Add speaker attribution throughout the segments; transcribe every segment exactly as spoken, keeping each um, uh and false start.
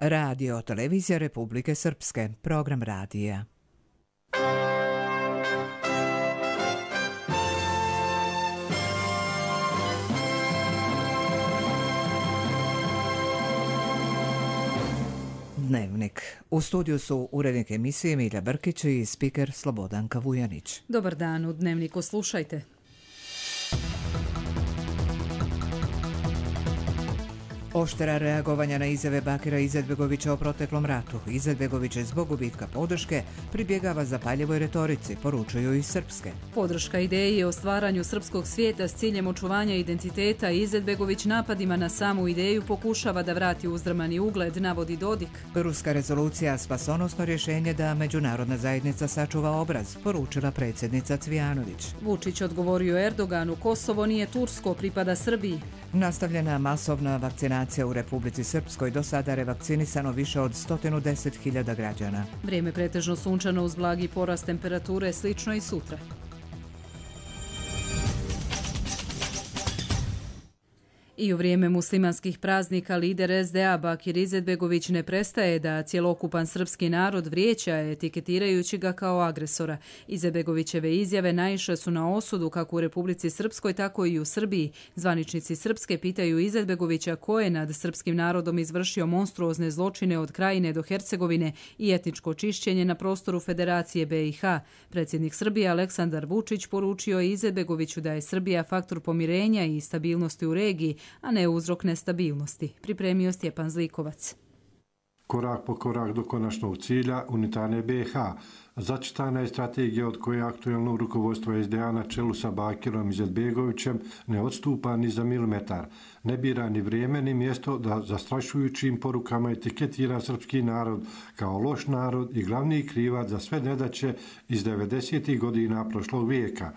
Speaker 1: Radio Televizija Republike Srpske, program radija. Dnevnik. U studiju su urednik emisije Milja Brkić i spiker Slobodanka Vujanić.
Speaker 2: Dobar dan, u Dnevniku slušajte.
Speaker 1: Oštera reagovanja na izjave Bakira Izetbegovića o proteklom ratu. Izetbegović je zbog gubitka podrške pribjegava zapaljivoj retorici, poručuju iz Srpske.
Speaker 2: Podrška ideji o stvaranju srpskog svijeta s ciljem očuvanja identiteta. Izetbegović napadima na samu ideju pokušava da vrati uzdrmani ugled, navodi Dodik.
Speaker 1: Ruska rezolucija spasonosno rješenje da međunarodna zajednica sačuva obraz, poručila predsjednica Cvijanović.
Speaker 2: Vučić odgovorio Erdoganu, Kosovo nije tursko, pripada Srbiji.
Speaker 1: Nastavljena masovna vakcinacija u Republici Srpskoj, do sada revakcinisano više od sto deset hiljada građana.
Speaker 2: Vrijeme pretežno sunčano uz blagi porast temperature, slično i sutra. I u vrijeme muslimanskih praznika lider es de a Bakir Izetbegović ne prestaje da cjelokupan srpski narod vrijeđa, etiketirajući ga kao agresora. Izetbegovićeve izjave naišle su na osudu kako u Republici Srpskoj, tako i u Srbiji. Zvaničnici Srpske pitaju Izetbegovića ko je nad srpskim narodom izvršio monstruozne zločine od Krajine do Hercegovine i etničko čišćenje na prostoru Federacije be i ha. Predsjednik Srbije Aleksandar Vučić poručio Izetbegoviću da je Srbija faktor pomirenja i stabilnosti u regiji, a ne uzrok nestabilnosti. Pripremio Stjepan Zlikovac.
Speaker 3: Korak po korak do konačnog cilja unitarne be i ha. Začitana je strategija od koje aktuelno rukovodstvo es de a na čelu sa Bakirom Izetbegovićem ne odstupa ni za milimetar. Ne bira ni vrijeme ni mjesto da zastrašujućim porukama etiketira srpski narod kao loš narod i glavni krivac za sve nedaće iz devedesetih godina prošlog vijeka.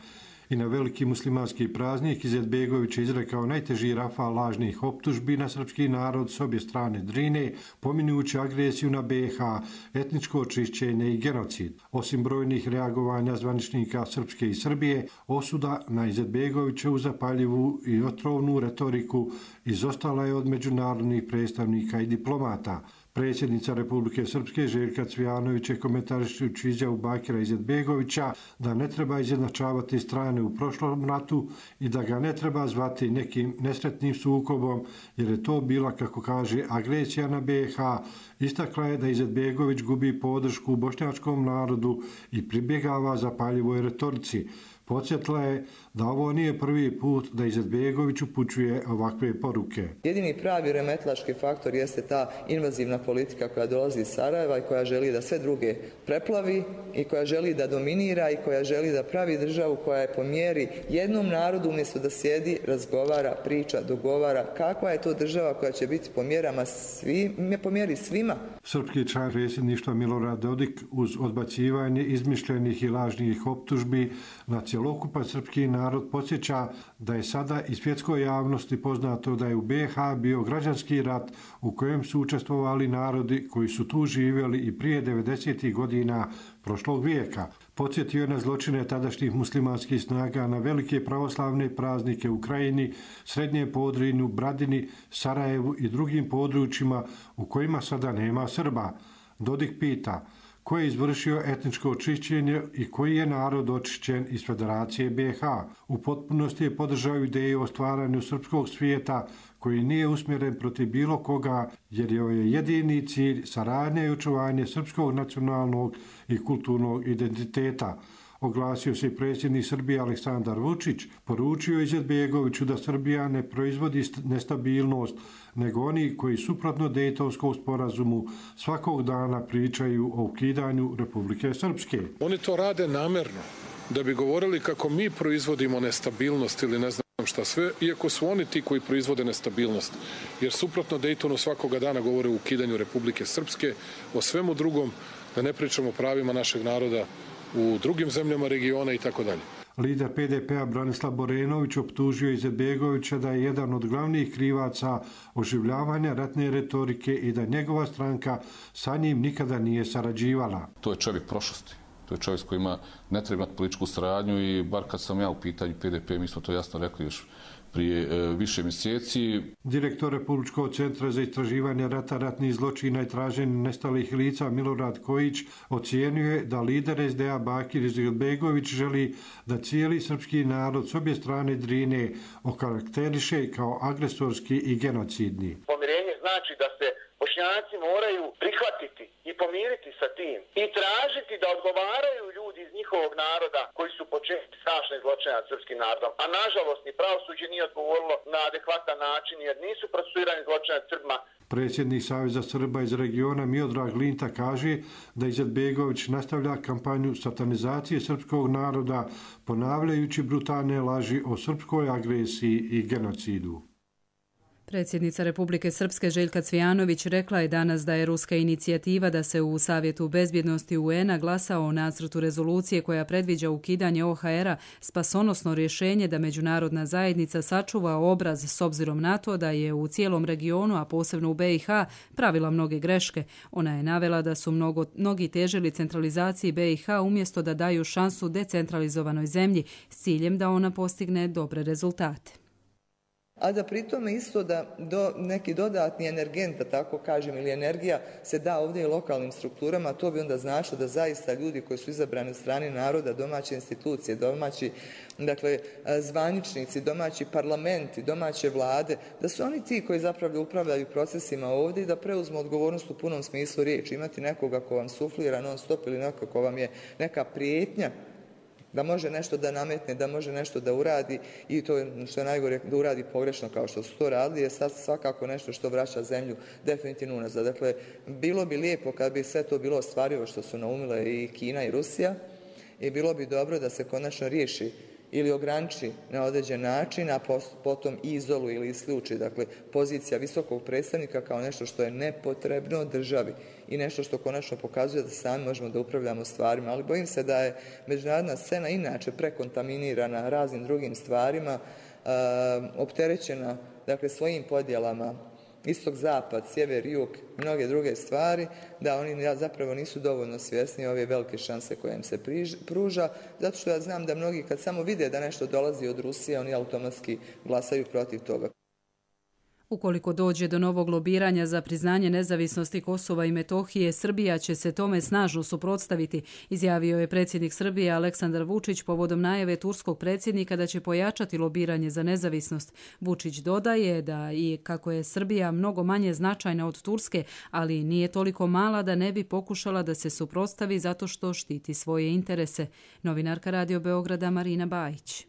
Speaker 3: I na veliki muslimanski praznik Izetbegović je izrekao najteži rafal lažnih optužbi na srpski narod s obje strane Drine, pominjujući agresiju na be i ha, etničko očišćenje i genocid. Osim brojnih reagovanja zvaničnika Srpske i Srbije, osuda na Izetbegovićevu zapaljivu i otrovnu retoriku izostala je od međunarodnih predstavnika i diplomata. Predsjednica Republike Srpske Željka Cvijanović je komentarišući izjavu Bakira Izetbegovića da ne treba izjednačavati strane u prošlom ratu i da ga ne treba zvati nekim nesretnim sukobom, jer je to bila, kako kaže, agresija na be i ha. Istakla je da Izetbegović gubi podršku bošnjačkom narodu i pribjegava zapaljivoj retorici. Podsjetila je da ovo nije prvi put da Izetbegović upućuje ovakve poruke.
Speaker 4: Jedini pravi remetlački faktor jeste ta invazivna politika koja dolazi iz Sarajeva i koja želi da sve druge preplavi i koja želi da dominira i koja želi da pravi državu koja je po mjeri jednom narodu umjesto da sjedi, razgovara, priča, dogovara. Kakva je to država koja će biti po mjerama svim, po mjeri svima?
Speaker 3: Srpski član predsjedništva Milorad Dodik uz odbacivanje izmišljenih i lažnih optužbi na cjelokupan srpski narod podsjeća da je sada i svjetskoj javnosti poznato da je u be i ha bio građanski rat u kojem su učestvovali narodi koji su tu živjeli i prije devedesetih godina prošlog vijeka. Podsjetio je na zločine tadašnjih muslimanskih snaga na velike pravoslavne praznike u Krajini, Srednjem Podrinju, Bradini, Sarajevu i drugim područjima u kojima sada nema Srba. Dodik pita ko je izvršio etničko očišćenje i koji je narod očišćen iz Federacije be i ha. U potpunosti je podržao ideju o stvaranju srpskog svijeta koji nije usmjeren protiv bilo koga, jer je jedini cilj saradnja i očuvanje srpskog nacionalnog i kulturnog identiteta. Oglasio se i predsjednik Srbije Aleksandar Vučić, poručio Izetbegoviću da Srbija ne proizvodi nestabilnost, nego oni koji suprotno Dejtonskom sporazumu svakog dana pričaju o ukidanju Republike Srpske.
Speaker 5: Oni to rade namjerno, da bi govorili kako mi proizvodimo nestabilnost ili ne znam šta sve, iako su oni ti koji proizvode nestabilnost. Jer suprotno Dejtonu svakoga dana govore o ukidanju Republike Srpske, o svemu drugom, da ne pričamo o pravima našeg naroda u drugim zemljama regiona i tako dalje.
Speaker 3: Lider pe de pe-a Branislav Borenović optužio Izetbegovića da je jedan od glavnih krivaca oživljavanja ratne retorike i da njegova stranka sa njim nikada nije sarađivala.
Speaker 6: To je čovjek prošlosti. To je čovjek s kojima ne treba imati političku saradnju i bar kad sam ja u pitanju pe de pe, mi smo to jasno rekli još prije e, više mjeseci.
Speaker 3: Direktor Republičkog centra za istraživanje rata, ratnih zločina i traženje nestalih lica Milorad Kojić ocijenio je da lider es de a Bakir Izetbegović želi da cijeli srpski narod s obje strane Drine okarakteriše kao agresorski i genocidni.
Speaker 7: Pomirenje znači da se Bošnjaci moraju prihvatiti i pomiriti sa tim i tražiti da odgovaraju ljudi iz njihovog naroda koji su počinili strašne zločine nad srpskim narodom. A nažalost ni pravosuđe nije odgovorilo na adekvatan način jer nisu procesuirani zločine nad Srbima.
Speaker 3: Predsjednik Saveza Srba iz regiona Miodrag Linta kaže da Izetbegović nastavlja kampanju satanizacije srpskog naroda ponavljajući brutalne laži o srpskoj agresiji i genocidu.
Speaker 2: Predsjednica Republike Srpske Željka Cvijanović rekla je danas da je ruska inicijativa da se u Savjetu bezbjednosti U N-a glasa o nacrtu rezolucije koja predviđa ukidanje O H R-a spasonosno rješenje da međunarodna zajednica sačuva obraz s obzirom na to da je u cijelom regionu, a posebno u B i H, pravila mnoge greške. Ona je navela da su mnogo, mnogi težili centralizaciji B i H umjesto da daju šansu decentralizovanoj zemlji s ciljem da ona postigne dobre rezultate.
Speaker 4: A da pritome isto da do, neki dodatni energent, da tako kažem, ili energija se da ovdje i lokalnim strukturama, to bi onda značilo da zaista ljudi koji su izabrani od strane naroda, domaće institucije, domaći dakle, zvaničnici, domaći parlamenti, domaće vlade, da su oni ti koji zapravo upravljaju procesima ovdje i da preuzmu odgovornost u punom smislu riječi. Imati nekoga ko vam suflira non stop ili nekoga ko vam je neka prijetnja da može nešto da nametne, da može nešto da uradi i to što je najgore da uradi pogrešno kao što su to radili je sad svakako nešto što vraća zemlju definitivno unazad. Dakle, bilo bi lijepo kad bi sve to bilo ostvarivo što su naumile i Kina i Rusija i bilo bi dobro da se konačno riješi ili ograniči na određen način, a potom i izoluje ili isključi. Dakle, pozicija visokog predstavnika kao nešto što je nepotrebno državi i nešto što konačno pokazuje da sami možemo da upravljamo stvarima. Ali bojim se da je međunarodna scena inače prekontaminirana raznim drugim stvarima, opterećena dakle, svojim podjelama istok, zapad, sjever, jug, mnoge druge stvari, da oni zapravo nisu dovoljno svjesni ove velike šanse koje im se pruža, zato što ja znam da mnogi kad samo vide da nešto dolazi od Rusije, oni automatski glasaju protiv toga.
Speaker 2: Ukoliko dođe do novog lobiranja za priznanje nezavisnosti Kosova i Metohije, Srbija će se tome snažno suprotstaviti, izjavio je predsjednik Srbije Aleksandar Vučić povodom najave turskog predsjednika da će pojačati lobiranje za nezavisnost. Vučić dodaje da i kako je Srbija mnogo manje značajna od Turske, ali nije toliko mala da ne bi pokušala da se suprotstavi zato što štiti svoje interese. Novinarka Radio Beograda Marina Bajić.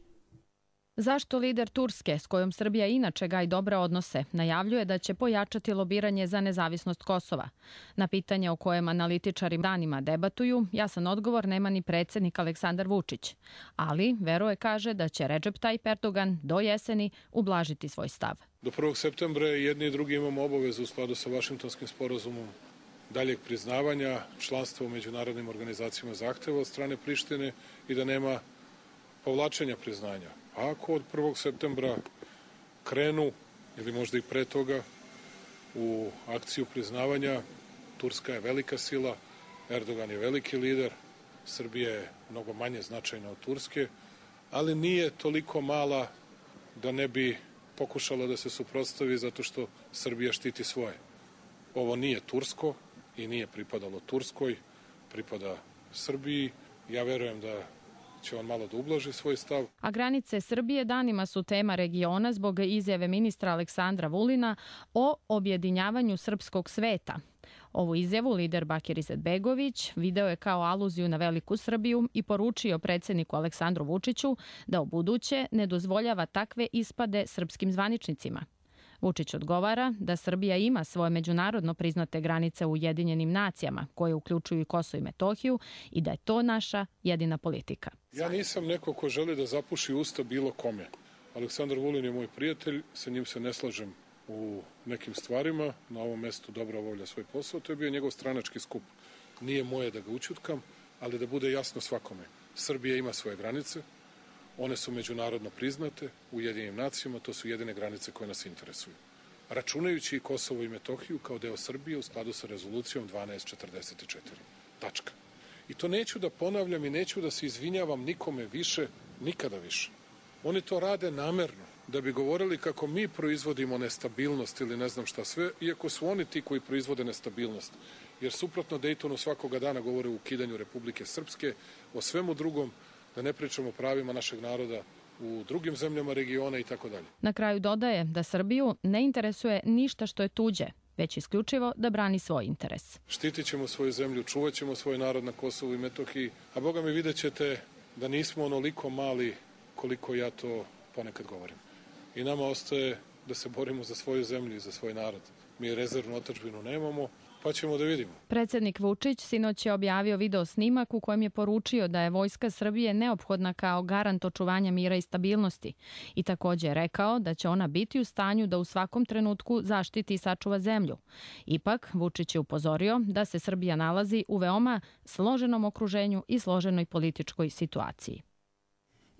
Speaker 8: Zašto lider Turske, s kojom Srbija inače gaji dobre odnose, najavljuje da će pojačati lobiranje za nezavisnost Kosova? Na pitanje o kojem analitičari danima debatuju, jasan odgovor nema ni predsjednik Aleksandar Vučić. Ali veruje kaže da će Recep Tayyip Erdogan do jeseni ublažiti svoj stav.
Speaker 5: Do prvog septembra jedni i drugi imamo obavezu u skladu sa Vašingtonskim sporazumom daljeg priznavanja, članstva u međunarodnim organizacijama zahteva od strane Prištine i da nema povlačenja priznanja. A ako od prvog septembra krenu, ili možda i pre toga, u akciju priznavanja, Turska je velika sila, Erdogan je veliki lider, Srbija je mnogo manje značajna od Turske, ali nije toliko mala da ne bi pokušala da se suprotstavi zato što Srbija štiti svoje. Ovo nije tursko i nije pripadalo Turskoj, pripada Srbiji. Ja verujem da će on malo da ublaži svoj stav.
Speaker 8: A granice Srbije danima su tema regiona zbog izjave ministra Aleksandra Vulina o objedinjavanju srpskog sveta. Ovu izjavu lider Bakir Izetbegović video je kao aluziju na veliku Srbiju i poručio predsjedniku Aleksandru Vučiću da ubuduće ne dozvoljava takve ispade srpskim zvaničnicima. Vučić odgovara da Srbija ima svoje međunarodno priznate granice u Ujedinjenim nacijama, koje uključuju i Kosovo i Metohiju, i da je to naša jedina politika.
Speaker 5: Ja nisam neko ko želi da zapuši usta bilo kome. Aleksandar Vulin je moj prijatelj, sa njim se ne slažem u nekim stvarima, na ovom mestu dobro obavlja svoj posao, to je bio njegov stranački skup. Nije moje da ga ućutkam, ali da bude jasno svakome. Srbija ima svoje granice, one su međunarodno priznate u Ujedinjenim nacijama, to su jedine granice koje nas interesuju. Računajući i Kosovo i Metohiju kao deo Srbije u skladu sa rezolucijom dvanaest četrdeset četiri. Tačka. I to neću da ponavljam i neću da se izvinjavam nikome više, nikada više. Oni to rade namerno. da bi govorili kako mi proizvodimo nestabilnost ili ne znam šta sve, iako su oni ti koji proizvode nestabilnost. Jer suprotno Dejtonu svakoga dana govore o ukidanju Republike Srpske, o svemu drugom, da ne pričamo o pravima našeg naroda u drugim zemljama regiona i tako dalje.
Speaker 8: Na kraju dodaje da Srbiju ne interesuje ništa što je tuđe, već isključivo da brani svoj interes.
Speaker 5: Štitit ćemo svoju zemlju, čuvat ćemo svoj narod na Kosovu i Metohiji, a Boga mi vidjet ćete da nismo onoliko mali koliko ja to ponekad govorim. I nama ostaje da se borimo za svoju zemlju i za svoj narod. Mi rezervnu otadžbinu nemamo, pa ćemo da vidimo.
Speaker 8: Predsjednik Vučić sinoć je objavio video snimak u kojem je poručio da je Vojska Srbije neophodna kao garant očuvanja mira i stabilnosti i također je rekao da će ona biti u stanju da u svakom trenutku zaštiti i sačuva zemlju. Ipak, Vučić je upozorio da se Srbija nalazi u veoma složenom okruženju i složenoj političkoj situaciji.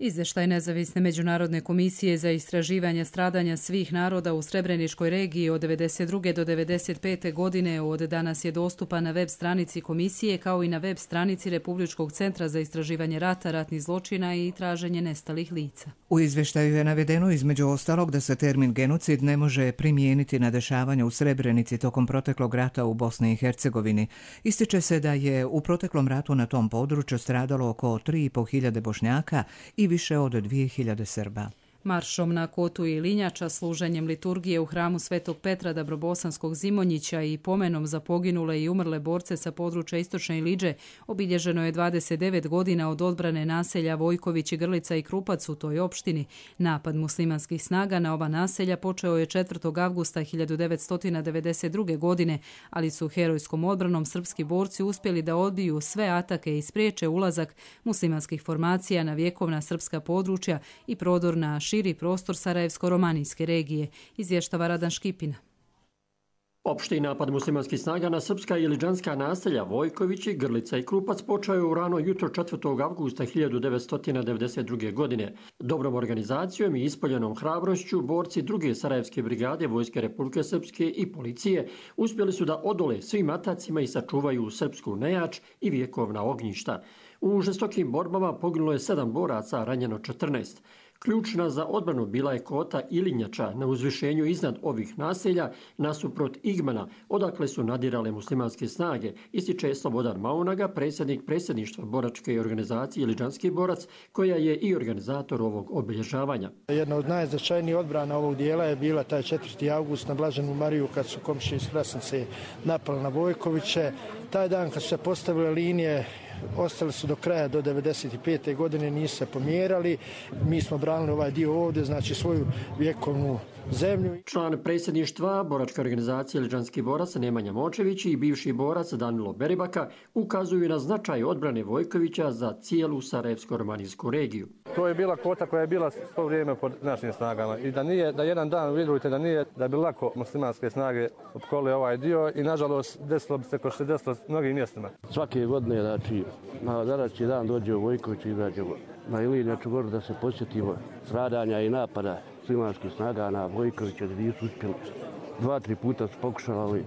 Speaker 2: Izvještaj Nezavisne međunarodne komisije za istraživanje stradanja svih naroda u Srebreničkoj regiji od devedeset druge do devedeset pete godine od danas je dostupan na web stranici komisije kao i na web stranici Republičkog centra za istraživanje rata, ratnih zločina i traženje nestalih lica.
Speaker 1: U izvještaju je navedeno između ostalog da se termin genocid ne može primijeniti na dešavanja u Srebrenici tokom proteklog rata u Bosni i Hercegovini. Ističe se da je u proteklom ratu na tom području stradalo oko tri i po hiljade Bošnjaka i više od dvije hiljade Srba.
Speaker 2: Maršom na Kotu i Linjača, služenjem liturgije u hramu Svetog Petra Dabrobosanskog Zimonjića i pomenom za poginule i umrle borce sa područja Istočne Iliđe obilježeno je dvadeset devet godina od odbrane naselja Vojković i Grlica i Krupac u toj opštini. Napad muslimanskih snaga na ova naselja počeo je četvrtog avgusta hiljadu devetsto devedeset druge. godine, ali su herojskom odbranom srpski borci uspjeli da odbiju sve atake i spriječe ulazak muslimanskih formacija na vjekovna srpska područja i prodor na širi prostor Sarajevsko-romanijske regije, izvještava Radan Škipina.
Speaker 9: Opšti napad muslimanskih snaga na srpska i iliđanska naselja Vojkovići, Grlica i Krupac počeo je u rano jutro četvrtog avgusta hiljadu devetsto devedeset druge. godine. Dobrom organizacijom i ispoljenom hrabrošću borci druge Sarajevske brigade Vojske Republike Srpske i policije uspjeli su da odole svim atacima i sačuvaju srpsku nejač i vjekovna ognjišta. U žestokim borbama poginulo je sedam boraca, a ranjeno četrnaest. Ključna za odbranu bila je Kota Ilinjača na uzvišenju iznad ovih naselja nasuprot Igmana, odakle su nadirale muslimanske snage, ističe Slobodan Maunaga, predsjednik predsjedništva boračke organizacije Iliđanski borac, koja je i organizator ovog obilježavanja.
Speaker 10: Jedna od najznačajnijih odbrana ovog dijela je bila taj četvrti avgust na Blaženu Mariju kad su komšije iz Krasnice napali na Vojkoviće. Taj dan kad su se postavile linije, ostali su do kraja, do devedeset pete. godine, nisu se pomjerali. Mi smo branili ovaj dio ovdje, znači svoju vjekovnu zemlju.
Speaker 9: Član predsjedništva boračke organizacije Iliđanski borac Nemanja Močević i bivši borac Danilo Beribaka ukazuju na značaj odbrane Vojkovića za cijelu Sarajevsko-romanijsku regiju.
Speaker 11: To je bila Kota koja je bila svo vrijeme pod našim snagama i da nije, da jedan dan vidite da nije, da bi lako muslimanske snage opkolile ovaj dio i nažalost desilo bi se ko što se desilo mnogim mjestima.
Speaker 12: Svake godine, znači, na današnji dan dođe u Vojković i izađemo na Ilinjaču goru da se posjetimo stradanja i napada muslimanskih snaga na Vojkovića gdje nisu uspjeli. Dva, tri puta su pokušali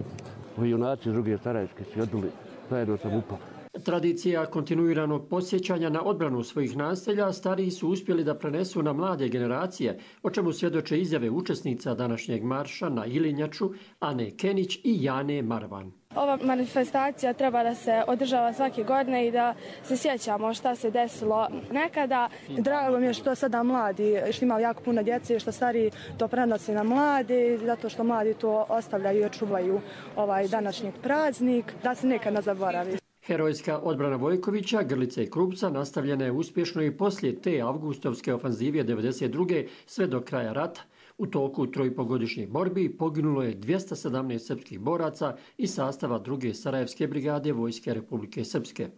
Speaker 12: junaci druge Sarajevske se odbili zajedno sa MUP-om.
Speaker 9: Tradicija kontinuiranog podsjećanja na odbranu svojih naselja stariji su uspjeli da prenesu na mlade generacije, o čemu svjedoče izjave učesnica današnjeg marša na Ilinjaču Ane Kenić i Jane Marvan.
Speaker 13: Ova manifestacija treba da se održava svake godine i da se sjećamo šta se desilo nekada. Drago mi je što sada mladi, što ima jako puno djece, što stariji to prenosi na mladi, zato što mladi to ostavljaju i očuvaju ovaj današnji praznik, da se nekad ne zaboravi.
Speaker 9: Herojska odbrana Vojkovića, Grlice i Krupca nastavljena je uspješno i poslije te avgustovske ofanzivije devedeset druge sve do kraja rata. U toku trojpogodišnjih borbi poginulo je dvjesto sedamnaest srpskih boraca iz sastava druge Sarajevske brigade Vojske Republike Srpske.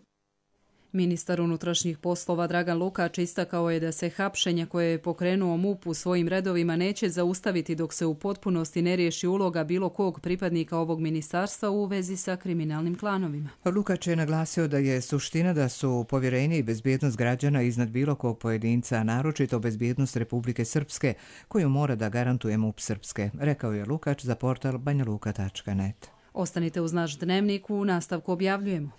Speaker 2: Ministar unutrašnjih poslova Dragan Lukač istakao je da se hapšenja koje je pokrenuo MUP u svojim redovima neće zaustaviti dok se u potpunosti ne riješi uloga bilo kog pripadnika ovog ministarstva u vezi sa kriminalnim klanovima.
Speaker 1: Lukač je naglasio da je suština da su povjerenje i bezbjednost građana iznad bilo kog pojedinca, a naročito bezbjednost Republike Srpske, koju mora da garantuje MUP Srpske, rekao je Lukač za portal banjaluka tačka net.
Speaker 2: Ostanite uz naš dnevnik, u nastavku objavljujemo.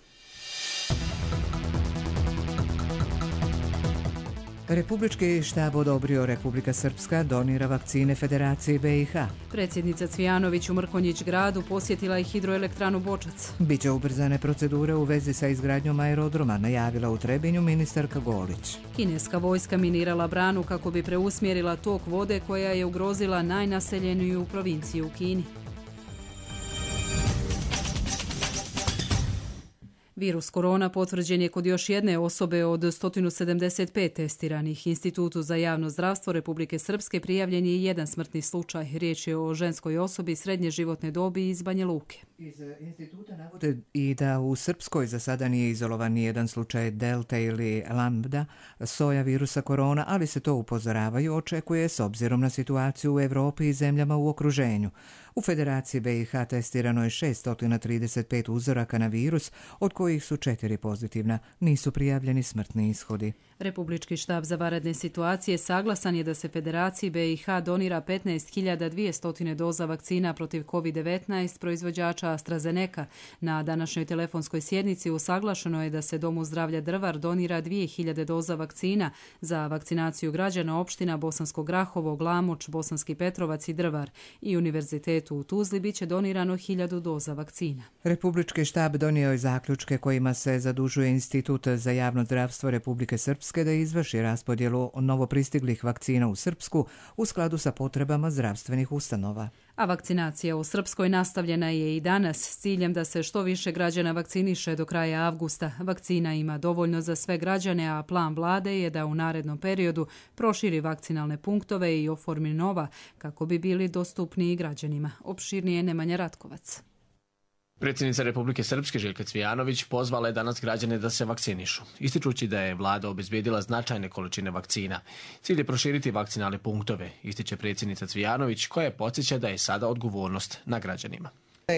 Speaker 1: Republički štab odobrio Republika Srpska donira vakcine Federaciji B i H.
Speaker 2: Predsjednica Cvijanović u Mrkonjić gradu posjetila je hidroelektranu Bočac.
Speaker 1: Biće ubrzane procedure u vezi sa izgradnjom aerodroma, najavila u Trebinju ministarka Golić.
Speaker 2: Kineska vojska minirala branu kako bi preusmjerila tok vode koja je ugrozila najnaseljeniju provinciju u Kini. Virus korona potvrđen je kod još jedne osobe od sto sedamdeset pet testiranih. Institutu za javno zdravstvo Republike Srpske prijavljen je jedan smrtni slučaj. Riječ je o ženskoj osobi srednje životne dobi iz Banja Luke.
Speaker 1: Iz instituta navode i da u Srpskoj za sada nije izolovan nijedan slučaj delta ili lambda soja virusa korona, ali se to upozoravaju očekuje s obzirom na situaciju u Evropi i zemljama u okruženju. U Federaciji B i H testirano je šesto trideset pet uzoraka na virus, od kojih su četiri pozitivna. Nisu prijavljeni smrtni ishodi.
Speaker 2: Republički štab za vanredne situacije saglasan je da se Federaciji B i H donira petnaest hiljada dvjesto doza vakcina protiv kovid devetnaest proizvođača AstraZeneca. Na današnjoj telefonskoj sjednici usaglašeno je da se Domu zdravlja Drvar donira dvije hiljade doza vakcina za vakcinaciju građana opština Bosansko Grahovo, Glamoč, Bosanski Petrovac i Drvar i Univerzitetu u Tuzli biće donirano hiljadu doza vakcina.
Speaker 1: Republički štab donio je zaključke kojima se zadužuje Institut za javno zdravstvo Republike Srpske da izvrši raspodjelu novopristiglih vakcina u Srpsku u skladu sa potrebama zdravstvenih ustanova.
Speaker 2: A vakcinacija u Srpskoj nastavljena je i danas s ciljem da se što više građana vakciniše do kraja avgusta. Vakcina ima dovoljno za sve građane, a plan vlade je da u narednom periodu proširi vakcinalne punktove i oformi nova kako bi bili dostupniji građanima. Opširnije Nemanja Ratkovac.
Speaker 14: Predsjednica Republike Srpske Željka Cvijanović pozvala je danas građane da se vakcinišu, ističući da je vlada obezbijedila značajne količine vakcina. Cilj je proširiti vakcinalne punktove, ističe predsjednica Cvijanović, koja podsjeća da je sada odgovornost na građanima.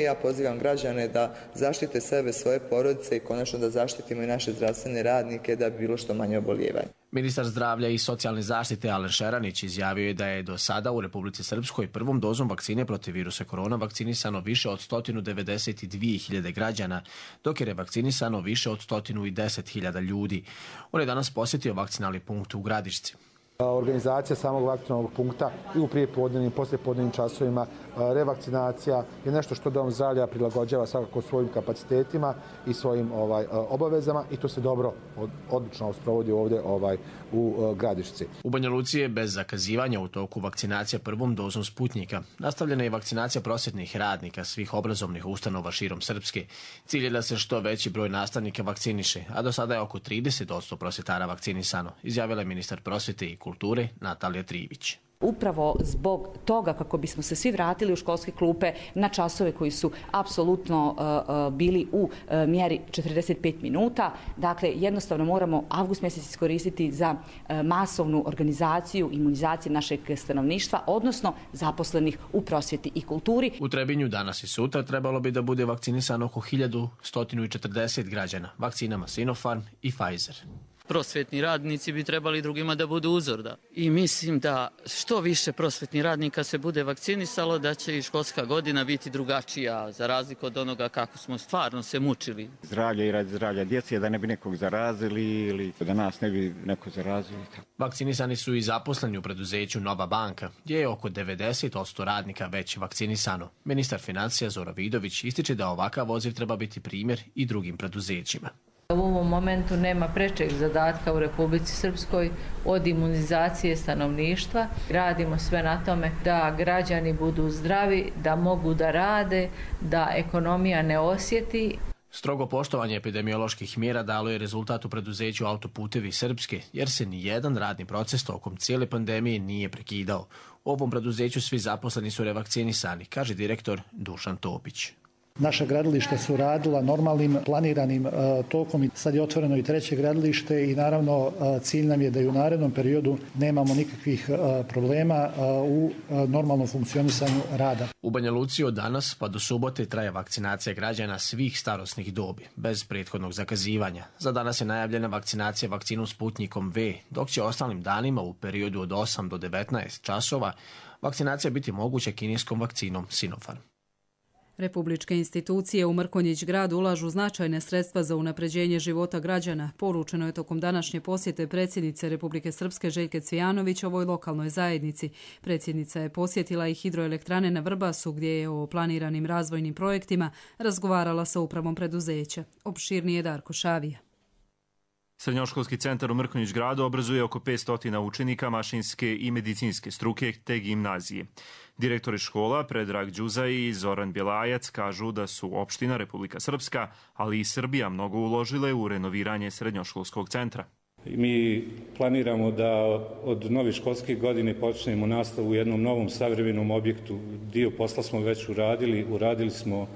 Speaker 4: Ja pozivam građane da zaštite sebe, svoje porodice i konačno da zaštitimo i naše zdravstvene radnike da bi bilo što manje oboljevanja.
Speaker 14: Ministar zdravlja i socijalne zaštite Alen Šeranić izjavio je da je do sada u Republici Srpskoj prvom dozom vakcine protiv virusa korona vakcinisano više od sto devedeset dvije hiljade građana, dok je revakcinisano više od sto deset hiljada ljudi. On je danas posjetio vakcinalni punkt u Gradišci.
Speaker 15: Organizacija samog vakcinalnog punkta i u prijepodnevnim i poslijepodnevnim časovima, revakcinacija je nešto što Dom zdravlja prilagođava svakako svojim kapacitetima i svojim ovaj, obavezama i to se dobro, odlično sprovodi ovdje ovaj, u Gradišci.
Speaker 14: U Banja Luci je bez zakazivanja u toku vakcinacija prvom dozom Sputnjika. Nastavljena je vakcinacija prosvjetnih radnika svih obrazovnih ustanova širom Srpske. Cilj je da se što veći broj nastavnika vakciniše, a do sada je oko trideset posto prosvjetara vakcinisano, izjavila je ministar prosvjete i kulture Natalija Trivić.
Speaker 16: Upravo zbog toga kako bismo se svi vratili u školske klupe na časove koji su apsolutno uh, bili u uh, mjeri četrdeset pet minuta. Dakle, jednostavno moramo avgust mjesec iskoristiti za uh, masovnu organizaciju imunizacije našeg stanovništva, odnosno zaposlenih u prosvjeti i kulturi.
Speaker 14: U Trebinju danas i sutra trebalo bi da bude vakcinisano oko hiljadu sto četrdeset građana vakcinama Sinopharm i Pfizer.
Speaker 17: Prosvjetni radnici bi trebali drugima da budu uzor. Da. I mislim da što više prosvjetnih radnika se bude vakcinisalo, da će i školska godina biti drugačija, za razliku od onoga kako smo stvarno se mučili.
Speaker 18: Zdravlje i radi zdravlja djece, da ne bi nekog zarazili ili da nas ne bi neko zarazili.
Speaker 14: Vakcinisani su i zaposleni u preduzeću Nova banka, gdje je oko devedeset posto radnika već vakcinisano. Ministar financija Zoran Vidović ističe da ovakav odziv treba biti primjer i drugim preduzećima.
Speaker 19: U ovom momentu nema prečeg zadatka u Republici Srpskoj od imunizacije stanovništva. Radimo sve na tome da građani budu zdravi, da mogu da rade, da ekonomija ne osjeti.
Speaker 14: Strogo poštovanje epidemioloških mjera dalo je rezultat u preduzeću Autoputevi Srpske, jer se ni jedan radni proces tokom cijele pandemije nije prekidao. U ovom preduzeću svi zaposleni su revakcinisani, kaže direktor Dušan Topić.
Speaker 20: Naša gradilišta su radila normalnim, planiranim uh, tokom i sad je otvoreno i treće gradilište i naravno uh, cilj nam je da i u narednom periodu nemamo nikakvih uh, problema uh, u uh, normalnom funkcionisanju rada.
Speaker 14: U Banja Luci od danas pa do subote traje vakcinacija građana svih starosnih dobi, bez prethodnog zakazivanja. Za danas je najavljena vakcinacija vakcinom Sputnjikom V, dok će ostalim danima u periodu od osam do devetnaest časova vakcinacija biti moguća kineskom vakcinom Sinopharm.
Speaker 2: Republičke institucije u Mrkonjić gradu ulažu značajne sredstva za unapređenje života građana, poručeno je tokom današnje posjete predsjednice Republike Srpske Željke Cvijanović ovoj lokalnoj zajednici. Predsjednica je posjetila i hidroelektrane na Vrbasu, gdje je o planiranim razvojnim projektima razgovarala sa upravom preduzeća. Opširnije Darko Šavija.
Speaker 21: Srednjoškolski centar u Mrkonjić gradu obrazuje oko petsto učenika mašinske i medicinske struke te gimnazije. Direktori škola Predrag Đuzaj i Zoran Bjelajac kažu da su opština Republika Srpska, ali i Srbija mnogo uložile u renoviranje srednjoškolskog centra.
Speaker 22: Mi planiramo da od nove školske godine počnemo nastavu u jednom novom savremenom objektu. Dio posla smo već uradili, uradili smo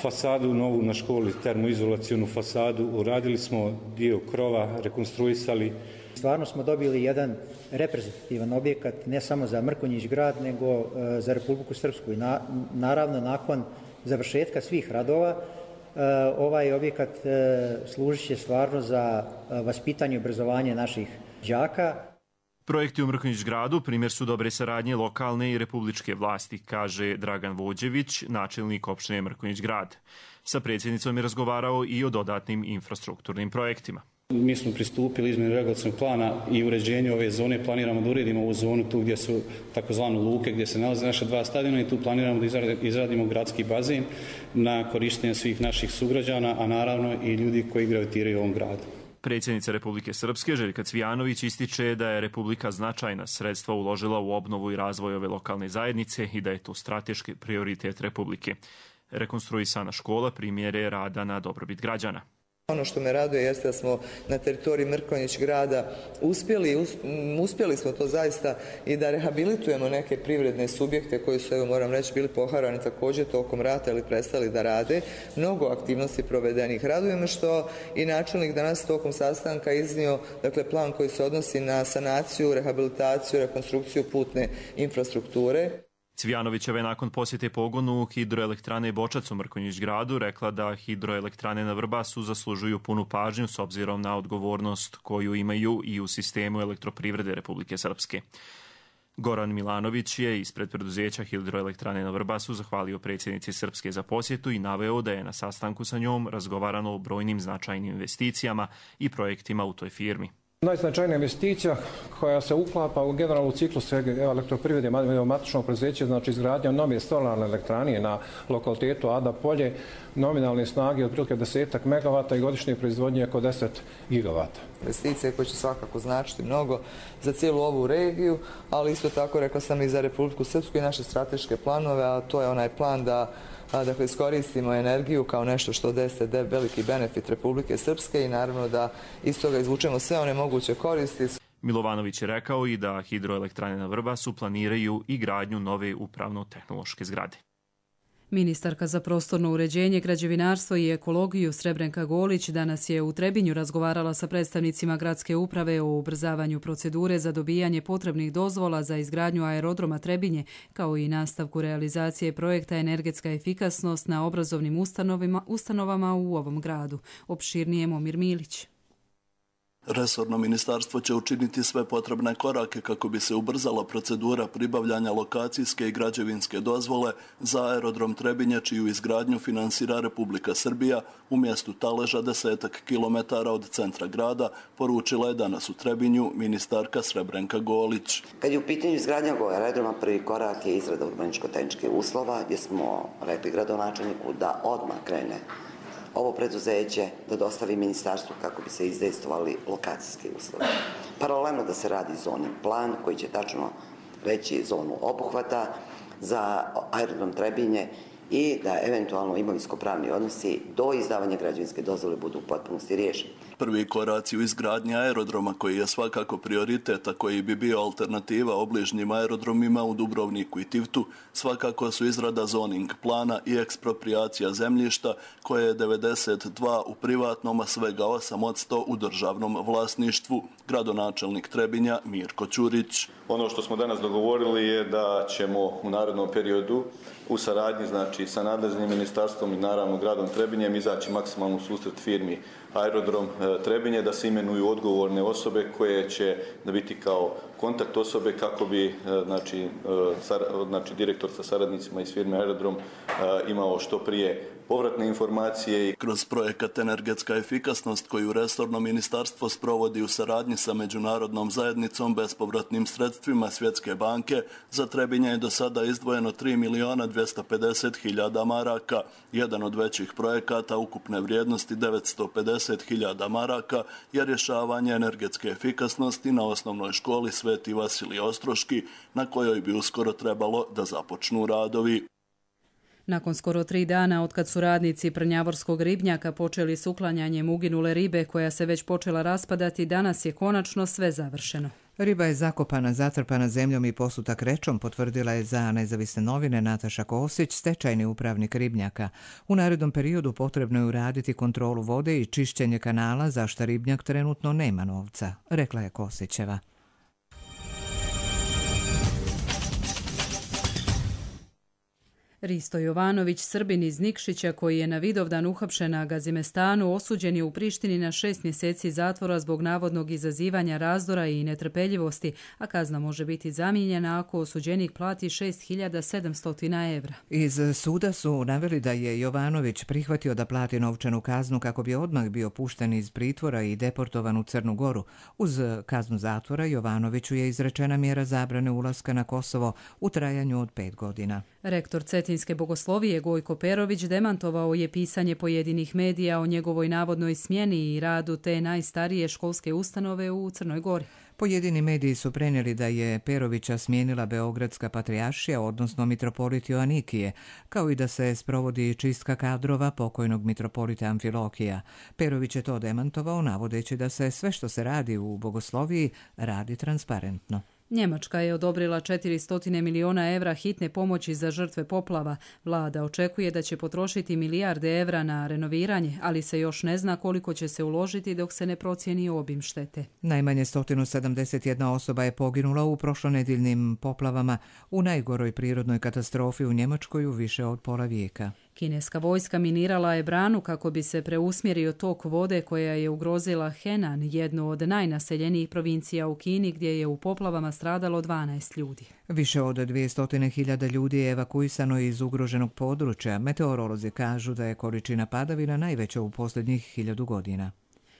Speaker 22: fasadu novu na školi, termoizolacionu fasadu, uradili smo dio krova, rekonstruisali.
Speaker 23: Stvarno smo dobili jedan reprezentativan objekat ne samo za Mrkonjić grad, nego za Republiku Srpsku. I na, naravno, nakon završetka svih radova, ovaj objekat služit će stvarno za vaspitanje i obrazovanje naših đaka.
Speaker 21: Projekti u Mrkonjić gradu primjer su dobre saradnje lokalne i republičke vlasti, kaže Dragan Vođević, načelnik opštine Mrkonjić grad. Sa predsjednicom je razgovarao i o dodatnim infrastrukturnim projektima.
Speaker 24: Mi smo pristupili izmjeni regulacionog plana i uređenju ove zone. Planiramo da uredimo ovu zonu tu gdje su takozvane luke, gdje se nalaze naša dva stadiona, i tu planiramo da izradimo gradski bazen na korištenje svih naših sugrađana, a naravno i ljudi koji gravitiraju u ovom gradu.
Speaker 21: Predsjednica Republike Srpske Željka Cvijanović ističe da je Republika značajna sredstva uložila u obnovu i razvoj ove lokalne zajednice i da je to strateški prioritet Republike. Rekonstruisana škola primjer je rada na dobrobit građana.
Speaker 4: Ono što me raduje jeste da smo na teritoriji Mrkonjić grada uspjeli, uspjeli smo to zaista i da rehabilitujemo neke privredne subjekte koji su, evo moram reći, bili poharani također tokom rata ili prestali da rade. Mnogo aktivnosti provedenih. Raduje me što i načelnik danas tokom sastanka iznio, dakle, plan koji se odnosi na sanaciju, rehabilitaciju, rekonstrukciju putne infrastrukture.
Speaker 21: Cvijanovićeva je nakon posjete pogonu hidroelektrane Bočac u Mrkonjić gradu rekla da hidroelektrane na Vrbasu zaslužuju punu pažnju s obzirom na odgovornost koju imaju i u sistemu elektroprivrede Republike Srpske. Goran Milanović je ispred preduzeća hidroelektrane na Vrbasu zahvalio predsjednici Srpske za posjetu i naveo da je na sastanku sa njom razgovarano o brojnim značajnim investicijama i projektima u toj firmi.
Speaker 25: Najznačajnija investicija koja se uklapa u generalnu ciklus elektroprivrede matičnog preduzeća, znači izgradnja nove solarne elektrane na lokalitetu Ada Polje, nominalne snage otprilike desetak megavata i godišnje proizvodnje oko deset gigavata.
Speaker 4: Investicije koje će svakako značiti mnogo za cijelu ovu regiju, ali isto tako, rekla sam, i za Republiku Srpsku i naše strateške planove, a to je onaj plan da dakle, iskoristimo energiju kao nešto što deste veliki benefit Republike Srpske i naravno da iz toga izvučemo sve one moguće koristi.
Speaker 21: Milovanović je rekao i da hidroelektrane na Vrbasu planiraju i gradnju nove upravno-tehnološke zgrade.
Speaker 2: Ministarka za prostorno uređenje, građevinarstvo i ekologiju Srebrenka Golić danas je u Trebinju razgovarala sa predstavnicima gradske uprave o ubrzavanju procedure za dobijanje potrebnih dozvola za izgradnju aerodroma Trebinje, kao i nastavku realizacije projekta Energetska efikasnost na obrazovnim ustanovama u ovom gradu. Opširnije Momir Milić.
Speaker 26: Resorno ministarstvo će učiniti sve potrebne korake kako bi se ubrzala procedura pribavljanja lokacijske i građevinske dozvole za aerodrom Trebinje, čiju izgradnju finansira Republika Srbija u mjestu Taleža, desetak kilometara od centra grada, poručila je danas u Trebinju ministarka Srebrenka Golić.
Speaker 27: Kad je u pitanju izgradnja ovog aerodroma, prvi korak je izrada urbaničko-tehničkih uslova, gdje smo rekli gradonačelniku da odmah krene ovo preduzeće da dostavi ministarstvu kako bi se izdejstvovali lokacijski uslovi. Paralelno da se radi zoni plan koji će tačno reći zonu obuhvata za aerodrom Trebinje i da eventualno imovinsko-pravni odnosi do izdavanja građevinske dozvole budu u potpunosti riješeni.
Speaker 26: Prvi koraci u izgradnji aerodroma, koji je svakako prioritet, a koji bi bio alternativa obližnjim aerodromima u Dubrovniku i Tivtu, svakako su izrada zoning plana i ekspropriacija zemljišta, koje je devedeset dva u privatnom, a svega osam posto u državnom vlasništvu. Gradonačelnik Trebinja Mirko Ćurić.
Speaker 28: Ono što smo danas dogovorili je da ćemo u narednom periodu
Speaker 3: u saradnji znači, sa nadležnim ministarstvom i naravno gradom Trebinjem izaći maksimalno u susret firmi Aerodrom Trebinje da se imenuju odgovorne osobe koje će da biti kao kontakt osobe kako bi znači, znači, direktor sa saradnicima iz firme Aerodrom imao što prije povratne informacije.
Speaker 26: Kroz projekat Energetska efikasnost koju resorno ministarstvo sprovodi u saradnji sa međunarodnom zajednicom bespovratnim sredstvima Svjetske banke, za Trebinje je do sada izdvojeno tri milijuna dvjesto pedeset hiljada maraka. Jedan od većih projekata ukupne vrijednosti devetsto pedeset hiljada maraka je rješavanje energetske efikasnosti na osnovnoj školi Sveti Vasilij Ostroški, na kojoj bi uskoro trebalo da započnu radovi.
Speaker 2: Nakon skoro tri dana otkad su radnici Prnjavorskog ribnjaka počeli s uklanjanjem uginule ribe koja se već počela raspadati, danas je konačno sve završeno.
Speaker 1: Riba je zakopana, zatrpana zemljom i posuta krećom, potvrdila je za Nezavisne novine Nataša Kosić, stečajni upravnik ribnjaka. U narednom periodu potrebno je uraditi kontrolu vode i čišćenje kanala, za što ribnjak trenutno nema novca, rekla je Kosićeva.
Speaker 2: Risto Jovanović, Srbin iz Nikšića, koji je na Vidovdan uhapšen na Gazimestanu, osuđen je u Prištini na šest mjeseci zatvora zbog navodnog izazivanja razdora i netrpeljivosti, a kazna može biti zamijenjena ako osuđenik plati šest hiljada sedamsto evra.
Speaker 1: Iz suda su naveli da je Jovanović prihvatio da plati novčanu kaznu kako bi odmah bio pušten iz pritvora i deportovan u Crnu Goru. Uz kaznu zatvora Jovanoviću je izrečena mjera zabrane ulaska na Kosovo u trajanju od pet godina.
Speaker 2: Rektor Cetinske bogoslovije Gojko Perović demantovao je pisanje pojedinih medija o njegovoj navodnoj smjeni i radu te najstarije školske ustanove u Crnoj Gori.
Speaker 1: Pojedini mediji su prenijeli da je Perovića smijenila Beogradska patrijaršija, odnosno mitropolit Joanikije, kao i da se sprovodi čistka kadrova pokojnog mitropolita Amfilohija. Perović je to demantovao, navodeći da se sve što se radi u bogosloviji radi transparentno.
Speaker 2: Njemačka je odobrila četiristo miliona evra hitne pomoći za žrtve poplava. Vlada očekuje da će potrošiti milijarde evra na renoviranje, ali se još ne zna koliko će se uložiti dok se ne procijeni obim štete.
Speaker 1: Najmanje sto sedamdeset jedna osoba je poginula u prošlonedjeljnim poplavama u najgoroj prirodnoj katastrofi u Njemačkoj u više od pola vijeka.
Speaker 2: Kineska vojska minirala je branu kako bi se preusmjerio tok vode koja je ugrozila Henan, jednu od najnaseljenijih provincija u Kini, gdje je u poplavama stradalo dvanaest ljudi.
Speaker 1: Više od dvjesto hiljada ljudi je evakuisano iz ugroženog područja. Meteorolozi kažu da je količina padavina najveća u posljednjih hiljadu godina.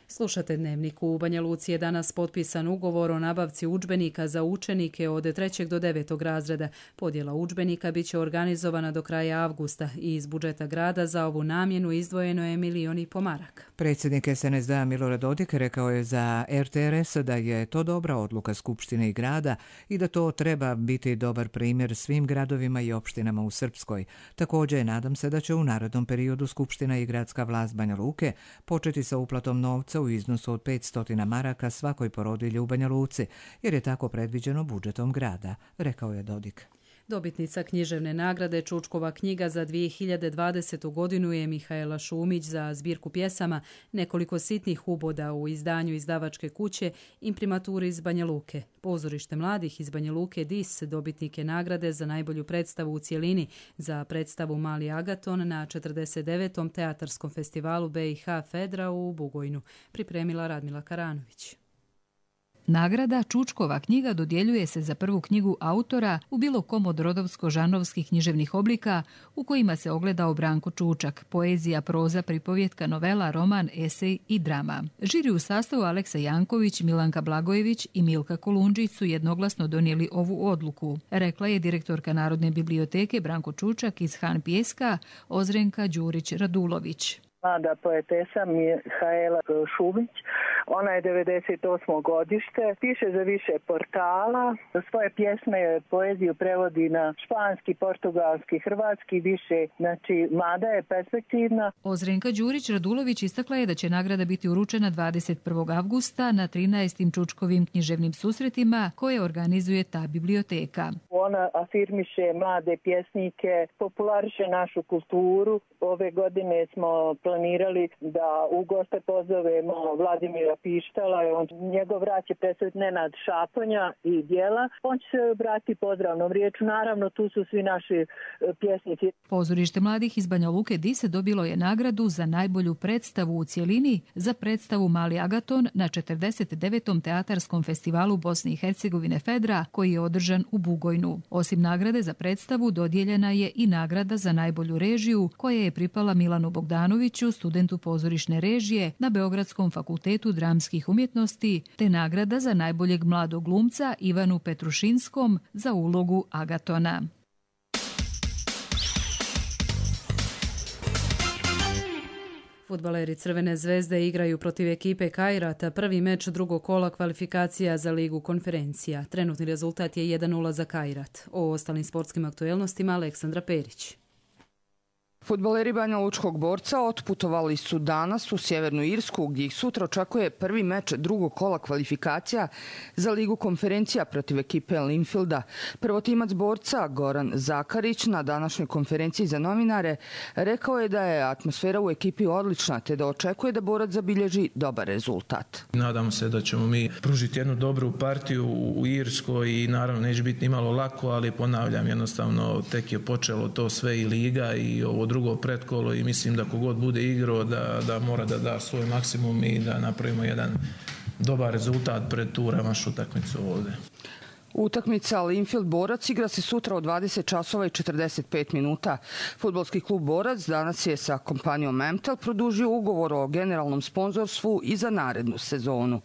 Speaker 2: Slušate Dnevnik. U Banja Luci je danas potpisan ugovor o nabavci udžbenika za učenike od trećeg do devetog razreda. Podjela udžbenika bit će organizovana do kraja avgusta i iz budžeta grada za ovu namjenu izdvojeno je milion i po maraka.
Speaker 1: Predsjednik es en es de a Milorad Dodik rekao je za er te er es da je to dobra odluka Skupštine i grada i da to treba biti dobar primjer svim gradovima i opštinama u Srpskoj. Također, nadam se da će u narednom periodu Skupština i gradska vlast Banja Luke početi sa uplatom novca u iznosu od petsto maraka svakoj porodilji u Banja Luci, jer je tako predviđeno budžetom grada, rekao je Dodik.
Speaker 2: Dobitnica književne nagrade Čučkova knjiga za dvije hiljade dvadesetu godinu je Mihaela Šumić za zbirku pjesama Nekoliko sitnih uboda u izdanju izdavačke kuće Imprimaturi iz Banja Luke. Pozorište mladih iz Banja Luke D I S dobitnik je nagrade za najbolju predstavu u cjelini za predstavu Mali Agaton na četrdeset devetom teatarskom festivalu be i ha Fedra u Bugojnu, pripremila Radmila Karanović.
Speaker 5: Nagrada Čučkova knjiga dodjeljuje se za prvu knjigu autora u bilo kom od rodovsko-žanrovskih književnih oblika u kojima se ogledao Branko Čučak, poezija, proza, pripovjetka, novela, roman, esej i drama. Žiri u sastavu Aleksa Janković, Milanka Blagojević i Milka Kolundžić su jednoglasno donijeli ovu odluku, rekla je direktorka Narodne biblioteke Branko Čučak iz Han Pjeska Ozrenka Đurić-Radulović.
Speaker 6: Mlada poetesa Mihaela Šumić. Ona je devedeset osmo godište, piše za više portala, svoje pjesme i poeziju prevodi na španski, portugalski, hrvatski, više, znači mlada je, perspektivna.
Speaker 5: Ozrenka Đurić-Radulović istakla je da će nagrada biti uručena dvadeset prvog avgusta na trinaestim Čučkovim književnim susretima koje organizuje ta biblioteka.
Speaker 6: Ona afirmiše mlade pjesnike, populariše našu kulturu. Ove godine smo planirali da u goste pozovemo Vladimira Pištala. On, njegov rad će predstaviti Nenad Šaponja i djela. On će se obratiti pozdravnom riječu. Naravno, tu su svi naši pjesnici.
Speaker 5: Pozorište mladih iz Banja Luke Dise dobilo je nagradu za najbolju predstavu u cjelini za predstavu Mali Agaton na četrdeset devetom teatarskom festivalu Bosne i Hercegovine Fedra, koji je održan u Bugojnu. Osim nagrade za predstavu, dodijeljena je i nagrada za najbolju režiju, koja je pripala Milanu Bogdanoviću, studentu pozorišne režije na Beogradskom fakultetu dramskih umjetnosti, te nagrada za najboljeg mladog glumca Ivanu Petrušinskom za ulogu Agatona.
Speaker 2: Fudbaleri Crvene zvezde igraju protiv ekipe Kajrata prvi meč drugog kola kvalifikacija za Ligu konferencija. Trenutni rezultat je jedan nula za Kajrat. O ostalim sportskim aktuelnostima Aleksandra Perić.
Speaker 7: Fudbaleri Banja Lučkog Borca otputovali su danas u Sjevernu Irsku, gdje ih sutra očekuje prvi meč drugog kola kvalifikacija za Ligu konferencija protiv ekipe Linfielda. Prvotimac Borca, Goran Zakarić, na današnjoj konferenciji za novinare rekao je da je atmosfera u ekipi odlična, te da očekuje da Borac zabilježi dobar rezultat.
Speaker 8: Nadamo se da ćemo mi pružiti jednu dobru partiju u Irskoj i naravno neće biti ni malo lako, ali ponavljam, jednostavno tek je počelo to sve i Liga i ovo drugo pretkolo i mislim da kogod bude igrao da, da mora da da svoj maksimum i da napravimo jedan dobar rezultat pred tu revanš utakmicu ovdje.
Speaker 7: Utakmica Linfield Borac igra se sutra u dvadeset časova i četrdeset pet minuta. Fudbalski klub Borac danas je sa kompanijom Emtel produžio ugovor o generalnom sponzorstvu i za narednu sezonu.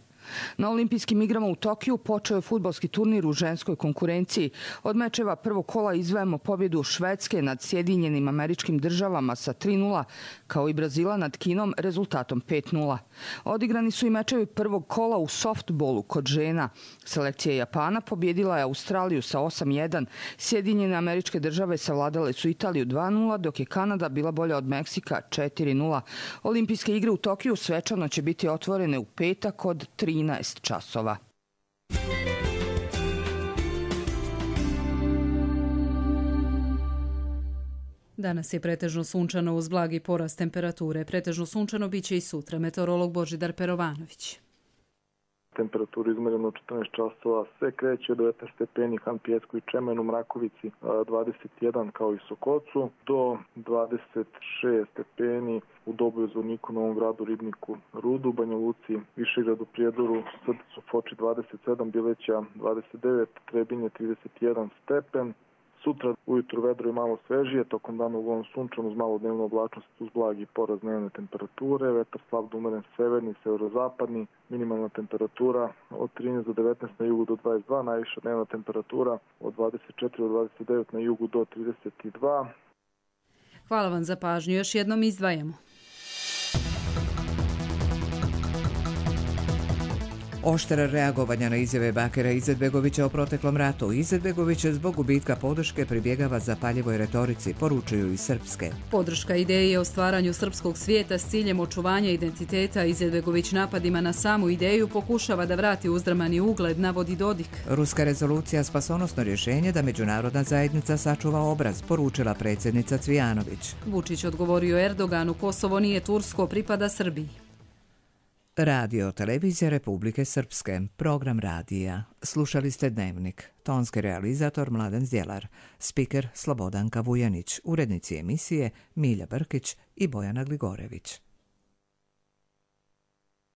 Speaker 7: Na olimpijskim igrama u Tokiju počeo je fudbalski turnir u ženskoj konkurenciji. Od mečeva prvog kola izdvajamo pobjedu Švedske nad Sjedinjenim Američkim Državama sa tri nula, kao i Brazila nad Kinom rezultatom pet nula. Odigrani su i mečevi prvog kola u softbolu kod žena. Selekcija Japana pobjedila je Australiju sa osam jedan. Sjedinjene Američke Države savladale su Italiju dva nula, dok je Kanada bila bolja od Meksika četiri nula. Olimpijske igre u Tokiju svečano će biti otvorene u petak od trinaest časova.
Speaker 2: Danas je pretežno sunčano uz blagi porast temperature. Pretežno sunčano biće i sutra. Meteorolog Božidar Perovanović.
Speaker 9: Temperaturu izmereno četrnaest časova se kreće od devetnaest stepeni Han Pijesku i Čemenu, Mrakovici dvadeset jedan kao i Sokocu, do dvadeset šest stepeni u Doboju, Zvorniku, Novom Gradu, Ribniku, Rudu, Banja Luci, Višegradu, Prijedoru, Srcu, Foči dvadeset sedam, Bileća dvadeset devet, Trebinje trideset jedan stepen. Sutra ujutru vedro je malo svežije, tokom dana uglavnom sunčano uz malo dnevnu oblačnost uz blagi porast dnevne temperature, vetar slab do umeren severni, severozapadni, minimalna temperatura od trinaest do devetnaest na jugu do dvadeset dva, najviša dnevna temperatura od dvadeset četiri do dvadeset devet na jugu do trideset dva.
Speaker 2: Hvala vam za pažnju. Još jednom izdvajamo.
Speaker 1: Oštro reagovanja na izjave Bakira Izetbegovića o proteklom ratu. Izetbegović zbog gubitka podrške pribjegava zapaljivoj retorici, poručuju iz Srpske.
Speaker 2: Podrška ideji o stvaranju srpskog svijeta s ciljem očuvanja identiteta. Izetbegović napadima na samu ideju pokušava da vrati uzdramani ugled, navodi Dodik.
Speaker 1: Ruska rezolucija spasonosno rješenje da međunarodna zajednica sačuva obraz, poručila predsjednica Cvijanović.
Speaker 2: Vučić odgovorio Erdoganu, Kosovo nije tursko, pripada Srbiji.
Speaker 1: Radio Televizija Republike Srpske, program radija. Slušali ste Dnevnik. Tonski realizator Mladen Zdjelar, spiker Slobodanka Vujanić, urednici emisije Milja Brkić i Bojana Gligorević.